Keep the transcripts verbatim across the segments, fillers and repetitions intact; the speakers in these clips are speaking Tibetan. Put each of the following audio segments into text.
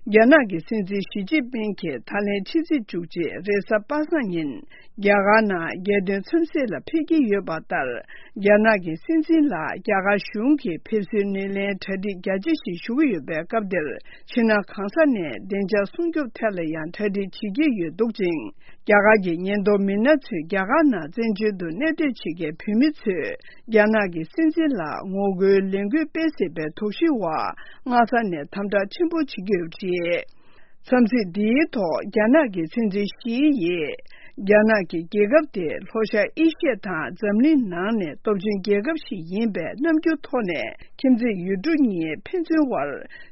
རྒྱ་ནག་གི་སྲིད་འཛིན་ཞི་ཅིན་ཕིང་གིས་ད་ལན་ཕྱི་ཚེས་བཅུ་གཅིག་རེས་གཟའ་པ་སངས་ཉིན། རྒྱ་གར་ནང་རྒྱལ་དོན་འཚམས་གཟིགས་ལ་ཕེབས་ཀྱི་ཡོད་པ་ལྟར། རྒྱ་ནག་གི་སྲིད་འཛིན་ལ་རྒྱ་གར་གཞུང་གིས་ཕེབས་བསུའི་སྣེ་ལེན་གྲ་སྒྲིག་རྒྱ་ཆེ་ཞིག་ཞུ་གི་ཡོད་པའི་སྐབས་འདིར། ཕྱི་ནང་གང་ས་ནས་བདེ་འཇགས་སྲུང་སྐྱོབ་ཐད་ལ་ཡང་གྲ་སྒྲིག་བྱེད་ཀྱི་ཡོད་འདུག་ཅིང་། རྒྱ་གར་གྱི་ཉེན་རྟོག་མི་སྣ་ཚོས་རྒྱ་གར་ནང་བཙན་བྱོལ་དུ་གནས་སྡོད་བྱེད་མཁན་བོད་མི་ཚོས། རྒྱ་ནག་གི་སྲིད་འཛིན་ལ་ངོ་རྒོལ་ལས་འགུལ་སྤེལ་སྲིད་པའི་དོགས་གཞི་འོག་སྔ་ས་ནས་དམ་དྲག་ཆེན་པོ་བྱེད་ཀྱི་ཡོད་པ་རེད། འཚམས་གཟིགས་འདིའི་ཐོག་རྒྱ་ནག་གི་སྲིད་འཛིན་ཞི་ཡིས། རྒྱ་ནག་གི་རྒྱལ་ཁབ་དེ་ལྷོ་ཤར་ཨེ་ཤི་ཡ་དང་འཛམ་གླིང་ནང་ནས་སྟོབས་ཆེན་རྒྱལ་ཁབ་ཞིག་ཡིན་པའི་རྣམ་འགྱུར་ཐོག་ནས། ཁྱིམ་མཚེས་ཡུལ་གྲུ་གཉིས་ཕན་ཚུན་དབར་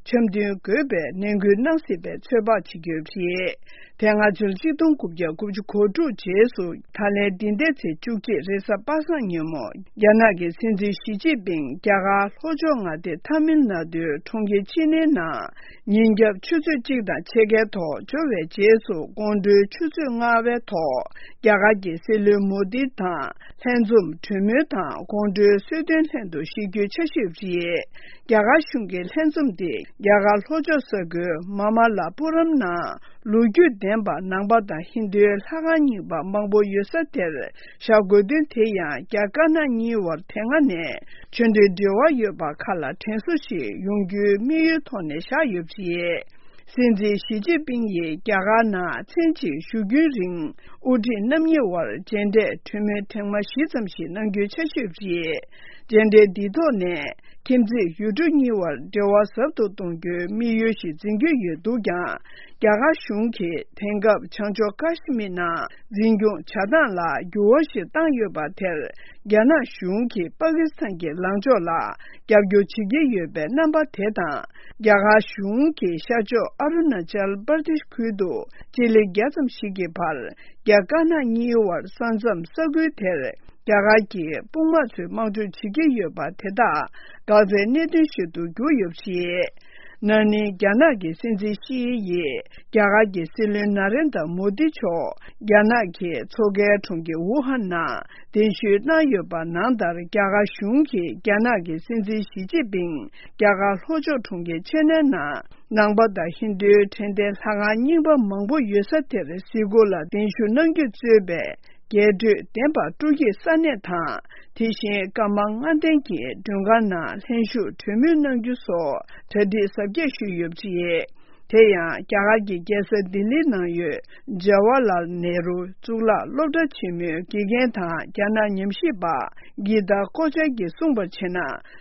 འཆམ་མཐུན་དགོས་པའི་ནན་སྐུལ་གནང་སྲིད་པའི་ཚོད་དཔག་བྱེད་ཀྱི་ཡོད་པ་རེད། དེ་སྔ་ཕྱི་ལོ་གཅིག་སྟོང་དགུ་བརྒྱ་དགུ་བཅུ་གོ་དྲུག་རྗེས་སུ། ད་ལན་འདི་ཟླའི་ཚེས་བཅུ་གཅིག་རེས་གཟའ་པ་སངས་ཉིན་མོ། རྒྱ་ནག་གི་སྲིད་འཛིན་ཞི་ཅིན་ཕིང་རྒྱ་གར་ལྷོ་ཕྱོགས་མངའ་སྡེ་ཐ་མིལ་ནཱ་ཏུའི་གྲོང་ཁྱེར་ཅི་ནེའི་ནང་། ཉིན་རྒྱབ་ཆུ་ཚོད་གཅིག་དང་ཕྱེད་ཀའི་ཐོག་འབྱོར་བའི་རྗེས་སུ། དགོང་དྲོའི་ཆུ་ཚོད་ལྔ་པའི་ཐོག་རྒྱ་གར་གྱི་སྲིད་བློན་མོ་དི་དང་། ལྷན་འཛོམས་གྲོས་མོལ་དང་དགོང་དྲོའི་གསོལ་སྟོན་ལྷན་དུ་བཞེས་རྒྱུའི་འཆར་གཞི་ཡོད་པ་རེད། རྒྱ་གར་གཞུང་གི་ལྷན་འཛོམས་དེ་རྒྱ་གར་ལྷོ་ཕྱོགས་ས་ཁུལ་མ་མ་ལ་པུ་རམ་ནང་ལོ་རྒྱུས་ལྡན་པ་ནང་པ་དང་ཧིན་རྡུའི་ལྷ་ཁང་རྙིང་པ་མང་པོ་ཡོད་ས་དེར་བཞག་དགོས་དོན་དེ་ཡང་རྒྱ་དཀར་ནག་གཉིས་བར་དེ་སྔ་ནས་ཆོས་འབྲེལ་འབྲེལ་བ་ཡོད་པ་ཁག་ལ་དྲན་གསོ་ཞིག་ཡོང་རྒྱུའི་དམིགས་ཡུལ་ཐོག་ནས་བཞག་ཡོད་པ་རེད། སྲིད་འཛིན་ཞི་ཅིན་ཕིང་ཡིས་རྒྱ་གར་ནང་མཚན་གཅིག་བཞུགས་རྒྱུན་རིང་། དབུ་ཁྲིད་རྣམ་གཉིས་དབར་མཇལ་འཕྲད་གྲོས་མོལ་ཐེངས་མ་བཞི་ཙམ་ཞིག་གནང་རྒྱུའི་འཆར་གཞི་ཡོད་པ་རེད། མཇལ་འཕྲད་འདིའི་ཐོག་ནས་ཁྱིམ་མཚེས་ཡུལ་གྲུ་གཉིས་དབར་འབྲེལ་བ་ཟབ་ཏུ་གཏོང་རྒྱུའི་དམིགས་ཡུལ་ཞིག་འཛིན་གྱི་ཡོད་འདུག་ཀྱང་། རྒྱ་གར་གཞུང་གིས་དེང་སྐབས་བྱང་ཕྱོགས་ཀ་ཤི་མིར་ནང་འཛིན་སྐྱོང་བྱ་སྟངས་ལ་འགྱུར་བ་ཞིག་བཏང་ཡོད་པ་དེར། རྒྱ་ནག་གཞུང་གིས་པ་ཀི་སི་ཐན་གྱི་ལངས་ཕྱོགས་ལ་རྒྱབ་སྐྱོར་བྱེད་ཀྱི་ཡོད་པའི་རྣམ་པ་དེ་དང་། རྒྱ་གར་གཞུང་གིས་ཤར་ཕྱོགས་ཨ་རུ་ན་ཅལ་པར་དེཤ་ཁུལ་དུ་སྤྱི་ལེ་བརྒྱ་ཙམ་ཞིག་གི་བར་རྒྱ་དཀར་ནག་གཉིས་དབར་ས་མཚམས་ས་ཁུལ་དེར་རྒྱ་གར་གྱི་དཔུང་དམག་ཚོས་དམག་འཁྲུག་བྱེད་ཀྱི་ཡོད་པ་དེ་དག་འགག་རྩའི་གནད་དོན་ཞིག་ཏུ་གྱུར་ཡོད་པ་རེད། ན་ནིང་རྒྱ་ནག་གི་སྲིད་འཛིན་ཞི་ཡིས་རྒྱ་གར་གྱི་སྲིད་བློན་ན་རེན་དྲ་མོ་དི་མཆོག་རྒྱ་ནག་གི་མཚོ་ཁའི་གྲོང་ཁྱེར་ཝུ་ཧན་ནང་གདན་ཞུ་གནང་ཡོད་པ་ནང་ལྟར། རྒྱ་གར་གཞུང་གིས་རྒྱ་ནག་གི་སྲིད་འཛིན་ཞི་ཅིན་ཕིང་རྒྱ་གར་ལྷོ་ཕྱོགས་གྲོང་ཁྱེར་ཆེ་ནན་ནང་ནང་པ་དང་ཧིན་རྡུའི་དྲན་རྟེན་ལྷ་ཁང་རྙིང་པ་མང་པོ་ཡོད་ས་དེར་གཟིགས་སྐོར་ལ་གདན་ཞུ་གནང་རྒྱུ་གཙོས་པའི་རྒྱས་སྤྲོས་ལྡན་པ་སྤྲོ་སྐྱིད་ས་གནས་དང་། དེ་བཞིན་ཀརྨ་ལྔ་ལྡན་གྱི་མགྲོན་ཁང་ནང་ལྷན་ཞུགས་གྲོས་མོལ་གནང་རྒྱུ་སོགས་གྲ་སྒྲིག་གཟབ་རྒྱས་ཞུས་ཡོད་པ་རེད། དེ་ཡང་རྒྱ་གར་གྱི་རྒྱལ་ས་ལྡི་ལིའི་ནང་ཡོད་ཇ་ཝ་ལལ་ནེ་རུ་གཙུག་ལག་སློབ་གྲྭ་ཆེན་མོའི་དགེ་རྒན་དང་རྒྱ་ནག་ཉམས་ཞིབ་པ་གི་ཏཱ་ཀོ་ཅཱ་གིས་གསུངས་པར་བྱས་ན།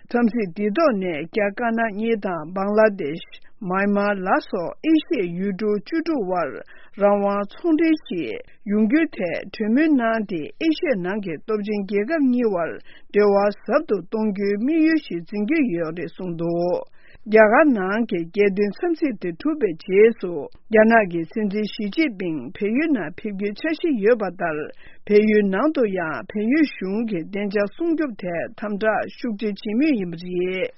འཚམས་གཟིགས་འདིའི་ཐོག་ནས་རྒྱ་དཀར་ནག་གཉིས་དང་བང་ལ་དེཤ། མཱན་མཱ་ལ་སོགས་ཨེ་ཤི་ཡའི་ཡུལ་གྲུ་བཅུ་དྲུག་དབར་རང་དབང་ཚོང་འབྲེལ་ཞིག་ཡོང་རྒྱུའི་ཐད་གྲོས་མོལ་གནང་སྟེ། ཨེ་ཤི་ཡའི་ནང་གི་སྟོབས་ཆེན་རྒྱལ་ཁབ་གཉིས་དབར་འབྲེལ་བ་ཟབ་ཏུ་གཏོང་རྒྱུའི་དམིགས་ཡུལ་ཞིག་འཛིན་གྱི་ཡོད་རེད་གསུངས་འདུག་རྒྱ་གར་ནང་གི་རྒྱལ་དོན་འཚམས་གཟིགས་དེ་གྲུབ་པའི་རྗེས་སུ། རྒྱ་ནག་གི་སྲིད་འཛིན་ཞི་ཅིན་ཕིང་བལ་ཡུལ་ནང་ཕེབས་རྒྱུའི་འཆར་གཞི་ཡོད་པ་ལྟར། བལ་ཡུལ་ནང་དུ་ཡང་བལ་ཡུལ་གཞུང་གིས་བདེ་འཇགས་སྲུང་སྐྱོབ་ཐད་དམ་དྲག་ཤུགས་ཆེ་བྱེད་མུས་ཡིན་པ་རེད།